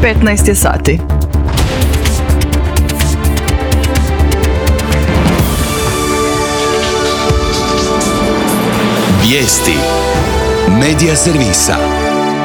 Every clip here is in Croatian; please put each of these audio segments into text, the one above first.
15 je sati. Vijesti Medija servisa.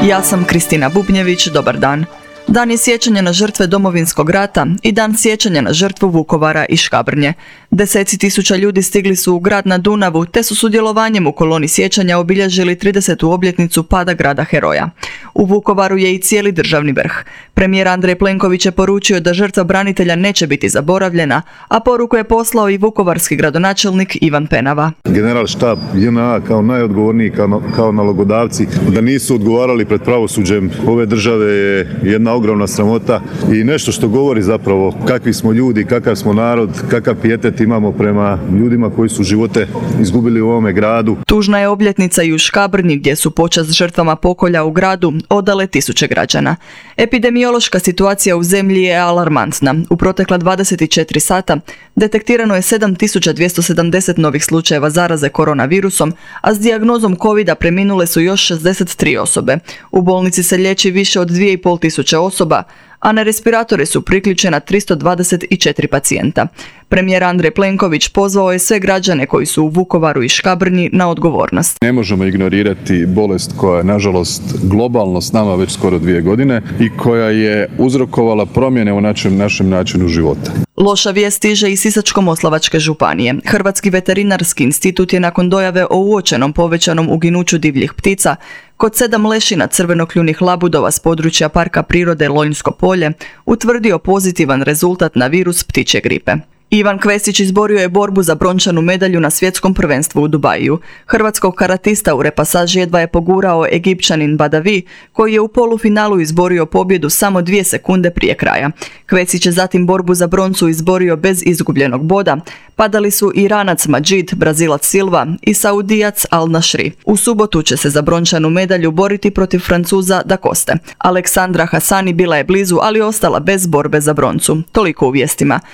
Ja sam Kristina Bubnjević, dobar dan. Dan je sjećanja na žrtve Domovinskog rata i dan sjećanja na žrtvu Vukovara i Škabrnje. Deseci tisuća ljudi stigli su u grad na Dunavu te su sudjelovanjem u koloni sjećanja obilježili 30. obljetnicu pada grada heroja. U Vukovaru je i cijeli državni vrh. Premijer Andrej Plenković je poručio da žrtva branitelja neće biti zaboravljena, a poruku je poslao i vukovarski gradonačelnik Ivan Penava. General štab JNA kao najodgovorniji, kao nalogodavci, da nisu odgovarali pred pravosuđem ove države je jedna ogromna sramota i nešto što govori zapravo kakvi smo ljudi, kakav smo narod, kakav pijetet imamo prema ljudima koji su živote izgubili u ovome gradu. Tužna je obljetnica i u Škabrnji gdje su počast žrtvama pokolja u gradu odale tisuće građana. Epidemiološka situacija u zemlji je alarmantna. U protekla 24 sata detektirano je 7270 novih slučajeva zaraze koronavirusom, a s dijagnozom covida preminule su još 63 osobe. U bolnici se liječi više od 2500 osoba, a na respiratore su priključena 324 pacijenta. Premijer Andrej Plenković pozvao je sve građane koji su u Vukovaru i Škabrnji na odgovornost. Ne možemo ignorirati bolest koja je nažalost globalno s nama već skoro 2 godine i koja je uzrokovala promjene u našem načinu života. Loša vijest stiže iz Sisačko-moslavačke županije. Hrvatski veterinarski institut je nakon dojave o uočenom povećanom uginuću divljih ptica kod 7 lešina crvenokljunih labudova s područja Parka prirode Lonjsko polje utvrdio pozitivan rezultat na virus ptičje gripe. Ivan Kvesić izborio je borbu za brončanu medalju na svjetskom prvenstvu u Dubaju. Hrvatskog karatista u repasaži jedva je pogurao Egipćanin Badavi, koji je u polufinalu izborio pobjedu samo 2 sekunde prije kraja. Kvesić je zatim borbu za broncu izborio bez izgubljenog boda. Padali su Iranac Madžid, Brazilac Silva i Saudijac Al Nashri. U subotu će se za brončanu medalju boriti protiv Francuza Da Coste. Aleksandra Hasani bila je blizu, ali ostala bez borbe za broncu. Toliko u vijestima.